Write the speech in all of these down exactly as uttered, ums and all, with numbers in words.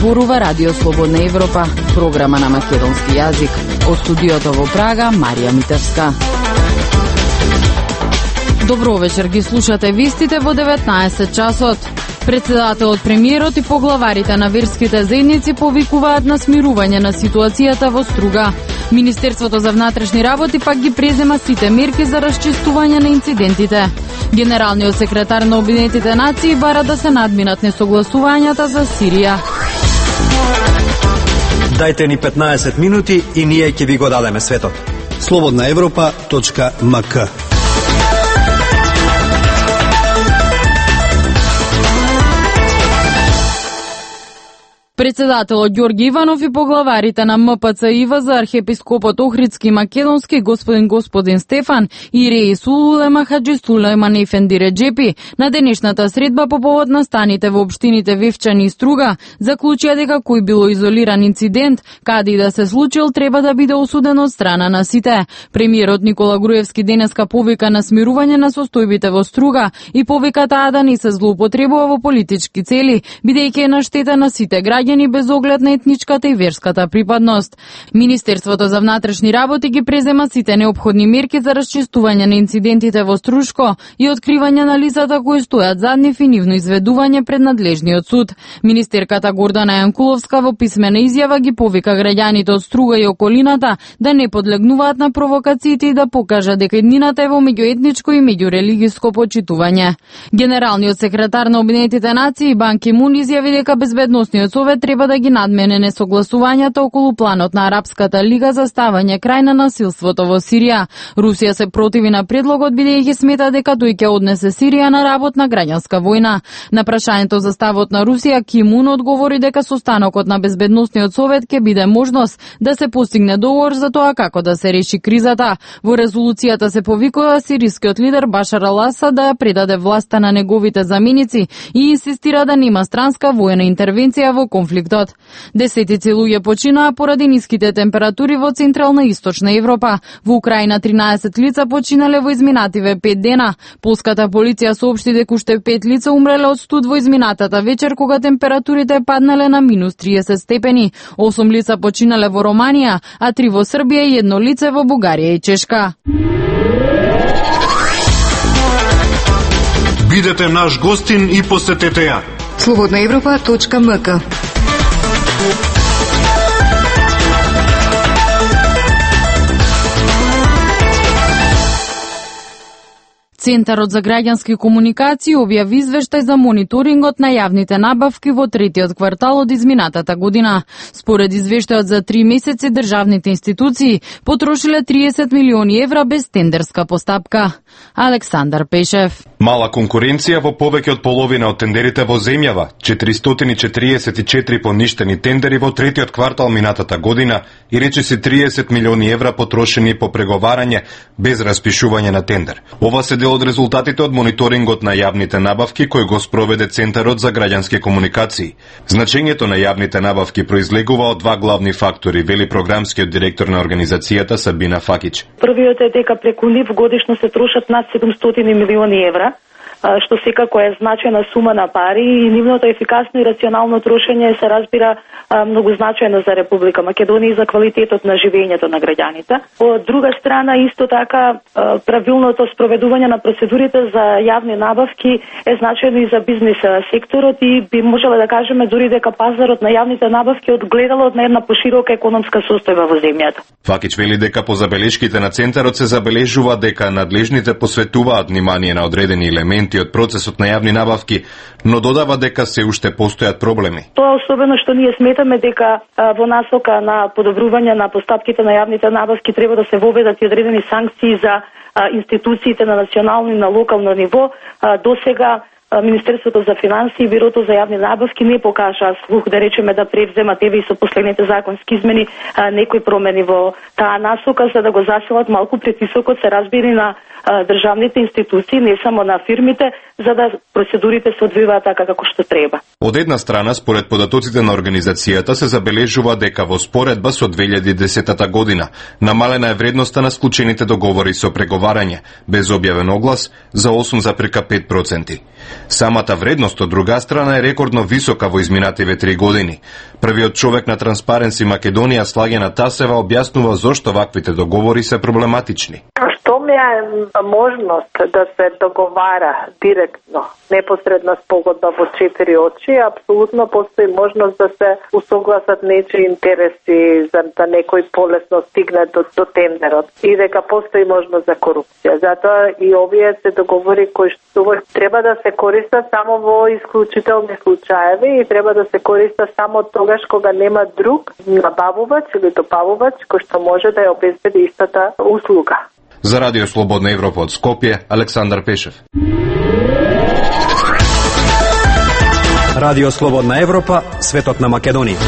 зборува Радио Слободна Европа, програма на македонски јазик. Од студиото во Прага, Марија Митевска. Добро вечер, ги слушате вистите во деветнаесет часот. Председателот, премиерот и поглаварите на верските заедници повикуваат на смирување на ситуацијата во Струга. Министерството за внатрешни работи пак ги презема сите мерки за расчистување на инцидентите. Генералниот секретар на Обединетите нации бара да се надминат несогласувањата за Сирија. Дајте ни петнаесет минути и ние ќе ви го дадеме светот. слободна европа точка ем ка. Председателот Ѓорги Иванов и поглаварите на ем пе це и вэ за архиепископот Охридски Македонски господин господин Стефан и Реис Улема Хаджи Сулејман Ефенди Реджепи на денешната средба по повод на станите во општините Вевчани и Струга заклучија дека кој било изолиран инцидент, каде и да се случил, треба да биде осуден од страна на сите. Премиерот Никола Груевски денеска повика на смирување на состојбите во Струга и повика таа да не се злоупотребува во политички цели, бидејќи е на штета на сите граѓани без оглед на етничката и верската припадност. Министерството за внатрешни работи ги презема сите неопходни мерки за расчистување на инцидентите во Струшко и откривање на лицата кои стојат зад нив и нивно изведување пред надлежниот суд. Министерката Гордана Јанкуловска во писмена изјава ги повика граѓаните од Струга и околината да не подлегнуваат на провокациите и да покажат дека еднината е во меѓуетничко и меѓурелигиско почитување. Генералниот секретар на Обединетите нации Бан Ки Мун изјави дека безбедносниот совет треба да ги надмене несогласувањата околу планот на Арапската лига за ставање крај на насилството во Сирија. Русија се противи на предлогот бидејќи смета дека тој ќе однесе Сирија на работна граѓанска војна. На прашањето за ставот на Русија, Ки Мун одговори дека состанокот на безбедносниот совет ќе биде можност да се постигне договор за тоа како да се реши кризата. Во резолуцијата се повикува сирискиот лидер Башар ал-Асад да ја предаде власта на неговите заменици и инсистира да нема странска војна интервенција во конфликтот. Десетици луѓе починаа поради ниските температури во Централна и Источна Европа. Во Украина тринаесет лица починале во изминативе пет дена. Полската полиција соопшти дека уште пет лица умреле од студ во изминатата вечер кога температурите паднале на минус триесет степени. осум лица починале во Романија, а три во Србија и едно лице во Бугарија и Чешка. Бидете наш гостин и посетете ја. слободна европа точка ем ка. Центарот за граѓански комуникации објави извештај за мониторингот на јавните набавки во третиот квартал од изминатата година. Според извештајот за три месеци државните институции потрошиле триесет милиони евра без тендерска постапка. Александар Пешев. Мала конкуренција во повеќе од половина од тендерите во земјава, четиристотини и четириесет и четири поништени тендери во третиот квартал минатата година и речиси триесет милиони евра потрошени по преговарање без распишување на тендер. Ова се дел од резултатите од мониторингот на јавните набавки кој го спроведе Центарот за граѓански комуникации. Значењето на јавните набавки произлегува од два главни фактори, вели програмскиот директор на организацијата Сабина Факич. Првиот е дека преку нив годишно се трошат над седумстотини милиони евра, што секако е значајна сума на пари и нивното ефикасно и рационално трошење се разбира многу значајно за Република Македонија и за квалитетот на живењето на граѓаните. Од друга страна, исто така, правилното спроведување на процедурите за јавни набавки е значајно и за бизнес секторот и би можеле да кажеме дури дека пазарот на јавните набавки одгледало од на една поширока економска состојба во земјата. Факич вели дека по забелешките на Центарот се забележува дека надлежните посветуваат внимание на одредени елементи од процесот на јавни набавки, но додава дека се уште постојат проблеми. Тоа особено што ние сметаме дека а, во насока на подобрување на постапките на јавните набавки треба да се воведат и одредени санкции за а, институциите на национално и на локално ниво. А, до сега Министерството за финансии и Бирото за јавни набавки не покажа слух, да речеме, да превземат еве и со последните законски измени а, некои промени во таа насока за да го засилат малку притисокот, се разбира, на а, државните институции, не само на фирмите, за да процедурите се одвиваат така како што треба. Од една страна, според податоците на организацијата, се забележува дека во споредба со две илјади и десета година намалена е вредноста на склучените договори со преговарање, без објавен оглас, за осум запирка пет проценти. Самата вредност од друга страна е рекордно висока во изминативе три години. Првиот човек на Транспаренси Македонија, Слагена Тасева, објаснува зошто ваквите договори се проблематични. Што ми е можност да се договара директно, непосредна спогодба во четири очи, апсолутно постои можност да се усогласат нечии интереси за да некој полесно стигне до, до тендерот и дека постои можност за корупција. Затоа и овие се договори кои што треба да се користат само во исклучителни случаеви и треба да се користат само тогаш кога нема друг набавувач или добавувач кој што може да ја обезбеди истата услуга. За Радио Слободна Европа од Скопје, Александар Пешев. Радио Слободна Европа, светот на Македонија.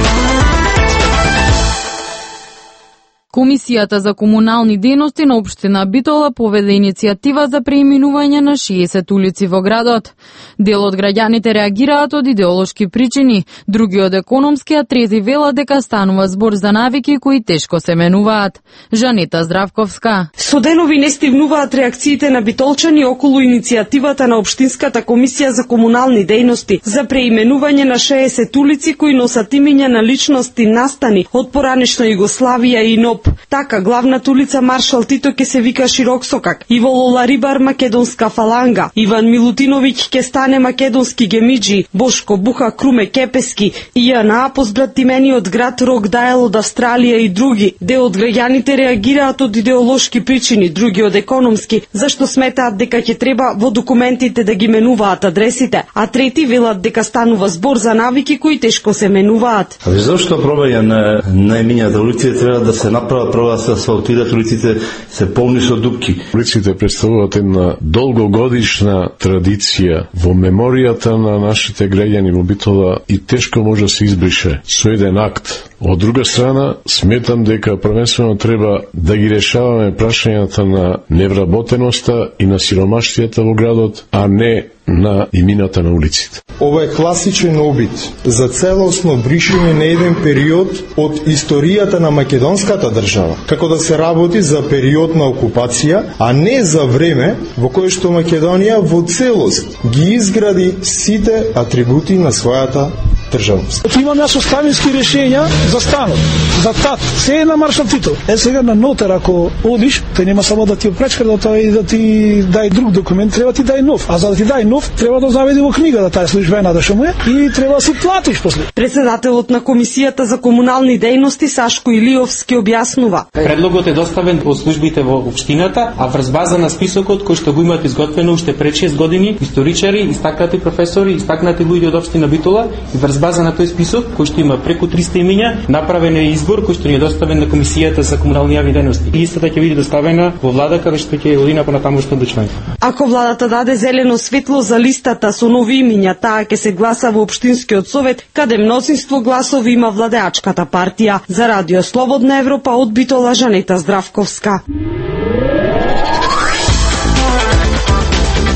Комисијата за комунални дејности на општина Битола поведе иницијатива за преименување на шеесет улици во градот. Дел од граѓаните реагираат од идеолошки причини, други од економски, а трети велат дека станува збор за навики кои тешко се менуваат. Жанета Здравковска. Со денови не стивнуваат реакциите на битолчани околу иницијативата на Општинската комисија за комунални дејности за преименување на шеесет улици кои носат имиња на личности настани од поранешна Југославија и НОП. Така, главната улица Маршал Тито ќе се вика Широк Сокак, Иво Лоларибар Македонска фаланга, Иван Милутиновиќ ќе стане Македонски гемиджи, Бошко Буха Круме Кепески, Ијана позбратимениот град Рок Дајл од Австралија и други. Дел од граѓаните реагираат од идеолошки причини, други од економски, зашто сметаат дека ќе треба во документите да ги менуваат адресите, а трети велат дека станува збор за навики кои тешко се менуваат. А зашто пробаја на наимињата улици треба да се направи прво да се асфалтират улиците, се полни со дупки. Улиците представуваат една долгогодишна традиција во меморијата на нашите граѓани во Битола и тешко може да се избрише со еден акт. Од друга страна, сметам дека првенствено треба да ги решаваме прашањата на невработеноста и на сиромаштијата во градот, а не на имината на улиците. Ова е класичен обид за целосно бришење на еден период од историјата на македонската држава, како да се работи за период на окупација, а не за време во кое што Македонија во целост ги изгради сите атрибути на својата државност. Имам јас оставински решења за станот, за тат, се е на Маршал Тито. Е сега на нотар ако одиш, тој нема само да ти опречка да тој да ти дај друг документ, треба ти дај нов, а за да ти дај нов треба да заведи во книга да таа службена да шо му е и треба да си платиш после. Председателот на Комисијата за комунални дејности Сашко Илиовски објаснува. Предлогот е доставен од службите во општината, а врз база на списокот кој што го имаат изготвено уште пред шест години историчари, истакнати професори, истакнати луѓе од општина Битола и врз база на тој список кој што има преку триста имиња, направен е избор кој што ни е доставен на Комисијата за комунални јавни дејности. И истата ќе биде доставена во влада каде што ќе одина понатамошно одлучување. Ако владата даде зелено светло за листата со нови имиња, таа ќе се гласа во општинскиот совет, каде мнозинство гласови има владеачката партија. За Радио Слободна Европа од Битола, Жанета Здравковска.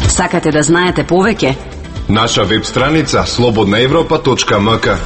Сакате да знаете повеќе? Наша веб страница слободна европа точка ем ка.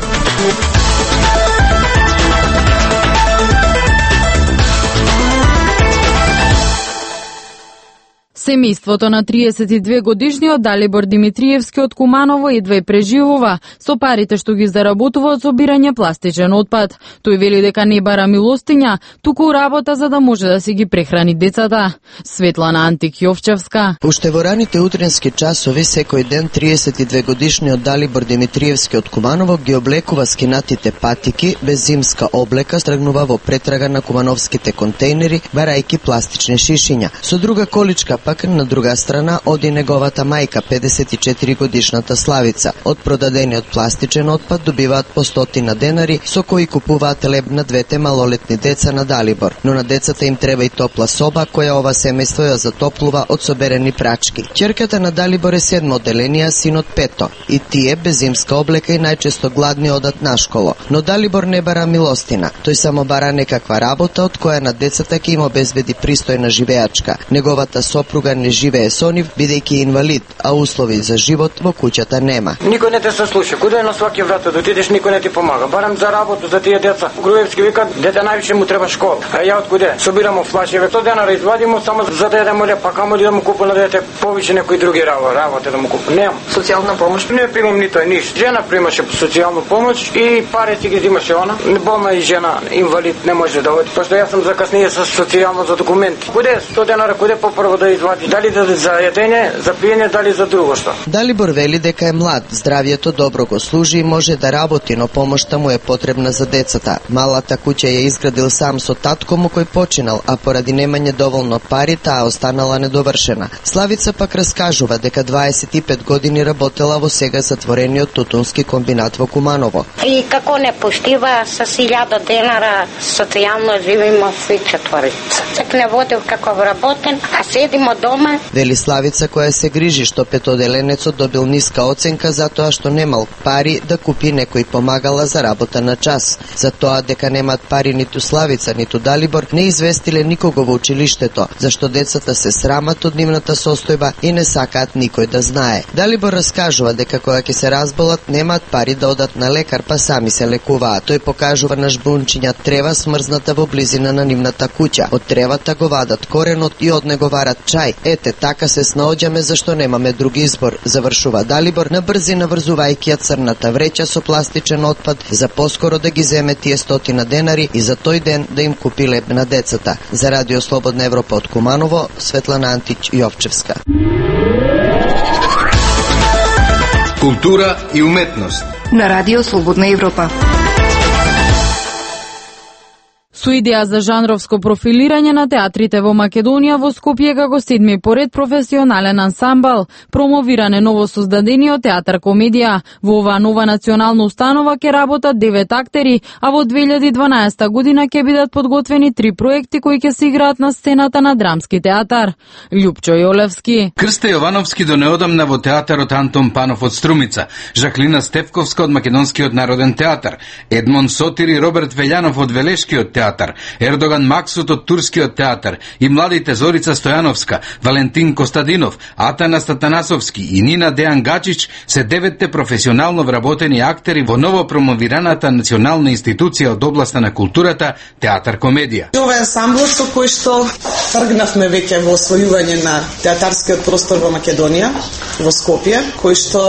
Семејството на триесет и две годишниот Далибор Димитриевски од Куманово едва преживува со парите што ги заработува од собирање пластичен отпад. Тој вели дека не бара милостиња, туку работа за да може да си ги прехрани децата. Светлана Антик Јовчевска. Уште во раните утрински часови секој ден триесет и две годишниот Далибор Димитриевски од Куманово ги облекува скинатите патики без зимска облека, тргнува во претрага на кумановските контейнери, барајки пластични шишиња. Со друга количка пак на друга страна оди неговата мајка, педесет и четири годишната Славица. Од продадениот пластичен отпад добиваат по стотина денари со кои купуваат леб на двете малолетни деца на Далибор. Но на децата им треба и топла соба која ова семејство ја затоплува од соберени прачки. Ќерката на Далибор е седмо одделение, синот пето. И тие без зимска облека и најчесто гладни одат на школо. Но Далибор не бара милостина. Тој само бара некаква работа од која на децата ќе им обезбеди пристојна живеачка. Неговата сопруга друга не живее со нив, бидејќи е инвалид, а услови за живот во куќата нема. Никој не те се слуша. Куде на сваки врата да отидеш, никој не ти помага. Барам за работа за тие деца. Груевски викат, дете највише му треба школа. А ја од куде? Собирамо флашеве. сто денара извадимо само за да јадемо леп, па камо да му купам на дете повеќе некои други работа, работа да му купам. Немам. Социјална помош не примам нито е ништо. Жена примаше социјална помош и парите ги земаше она. Болна и жена, инвалид, не може да оди. Пошто јас сум закаснија со социјално за документи. Куде сто денара, куде попрво да извади? Дали да за јадење, за пиење, дали за друго што? Далибор вели дека е млад, здравието добро го служи и може да работи, но помошта му е потребна за децата. Малата куќа ја изградил сам со татко му кој починал, а поради немање доволно пари таа останала недовршена. Славица пак раскажува дека дваесет и пет години работела во сега затворениот тутунски комбинат во Куманово. И како не поштива со илјада денара социјално живеемо сви четворица. Чак не водил како вработен, а седимо дома. Вели Славица која се грижи што петоделенецот добил ниска оценка затоа што немал пари да купи некој помагала за работа на час. За тоа дека немат пари ниту Славица, ниту Далибор не известиле никого во училиштето, зашто децата се срамат од нивната состојба и не сакаат никој да знае. Далибор раскажува дека кога ќе се разболат немаат пари да одат на лекар, па сами се лекуваат. Тој покажува на жбунчиња трева смрзната во близина на нивната куќа. Од тревата го вадат коренот и од него варат чај. Ете, така се снаоѓаме зашто немаме друг избор, завршува Далибор, на брзина врзувајќи ја црната вреќа со пластичен отпад за поскоро да ги земе тие стотина денари и за тој ден да им купи леб на децата. За Радио Слободна Европа од Куманово, Светлана Антич Јовчевска. Култура и уметност на Радио Слободна Европа. Со идеја за жанровско профилирање на театрите во Македонија, во Скопје како седми поред професионален ансамбл, промовиране новосоздадениот театар комедија. Во оваа нова национална установа ќе работат девет актери, а во две илјади и дванаесета година ќе бидат подготвени три проекти кои ќе се играат на сцената на Драмски театар. Лјупчо Јолевски. Крсте Јовановски до неодамна во театарот Антон Панов од Струмица, Жаклина Стефковска од Македонскиот народен театар, Едмон Сотир и Роберт Велјанов од Велешкиот театар, Ердоган Максут од Турскиот театар и младите Зорица Стојановска, Валентин Костадинов, Атанас Татанасовски и Нина Дејан Гачич се деветте професионално вработени актери во ново промовираната национална институција од областа на културата Театар комедија. Ова е ансамблот со кој што тргнавме веќе во освојување на театарскиот простор во Македонија, во Скопје, кој што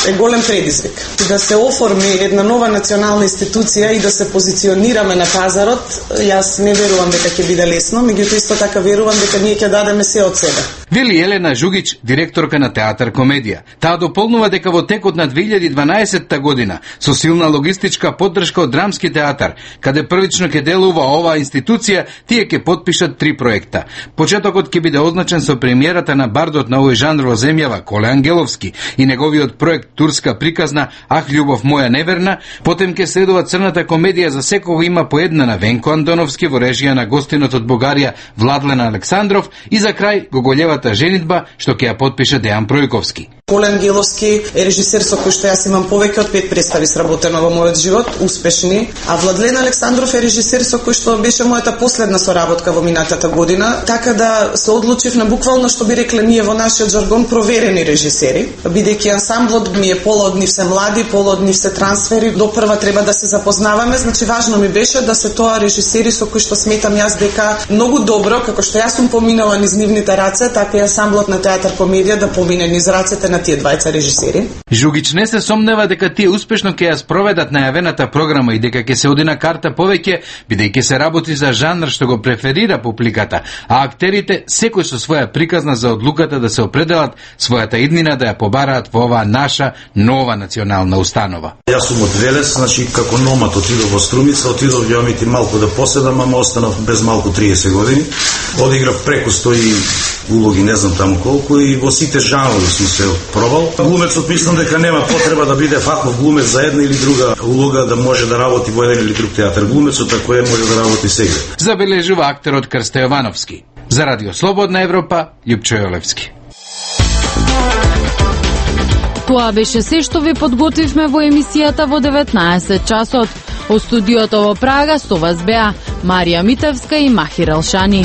е голем предизвик. Да се оформи една нова национална институција и да се позиционираме на пазарот, јас не верувам дека ќе биде лесно, меѓутоа исто така верувам дека ние ќе дадеме се од себе. Вели Елена Жугич, директорка на Театар комедија. Таа дополнува дека во текот на две илјади и дванаесета година, со силна логистичка поддршка од Драмски театар, каде првично ќе делува оваа институција, тие ќе потпишат три проекта. Почетокот ќе биде означен со премиерата на бардот на овој жанр во земјава Коле Ангеловски и неговиот проект Турска приказна Ах љубов моја неверна, потем ќе следува Црната комедија за секого има по една на Венко Антоновски во режија на гостинот од Бугарија Владлен Александров и за крај Гоголевата женитба што ќе ја потпише Дејан Пројковски. Коле Ангеловски е режисер со кој што јас имам повеќе од пет представи сработено во мојот живот, успешни, а Владлен Александров е режисер со кој што беше мојата последна соработка во минатата година, така да се одлучив на буквално што би рекле ние во нашиот жаргон проверени режисери, бидејќи ансамблот ми е пола од нив се млади, пола од нив се трансфери, допрва треба да се запознаваме, значи важно ми беше да се тоа режисери со кои што сметам јас дека многу добро, како што јас сум поминала низ нивните раце, така и ансамблот на Театар комедија да помине низ рацете на тие двајца режисери. Жугич не се сомнева дека тие успешно ќе ја спроведат најавената програма и дека ќе се оди на карта повеќе, бидејќи се работи за жанр што го преферира публиката, а актерите секој со своја приказна за одлуката да се определат својата иднина да ја побараат во оваа наша нова национална установа. Јас сум од Велес, значи како номад отидов во Струмица, отидов ја мити малку да поседам, ама останав без малку триесет години. Одиграв преку сто улоги, не знам таму колку, и во сите жанрови сум се пробал. Глумецот мислам дека нема потреба да биде фахов глумец за една или друга улога, да може да работи во еден или друг театар. Глумецот ако е може да работи сега. Забележува актерот Крсте Јовановски. За Радио Слободна Европа, Лјупчо Јолевски. Тоа беше се што ви подготвивме во емисијата во деветнаесет часот. Од студиото во Прага со вас беа Марија Митевска и Махир Алшани.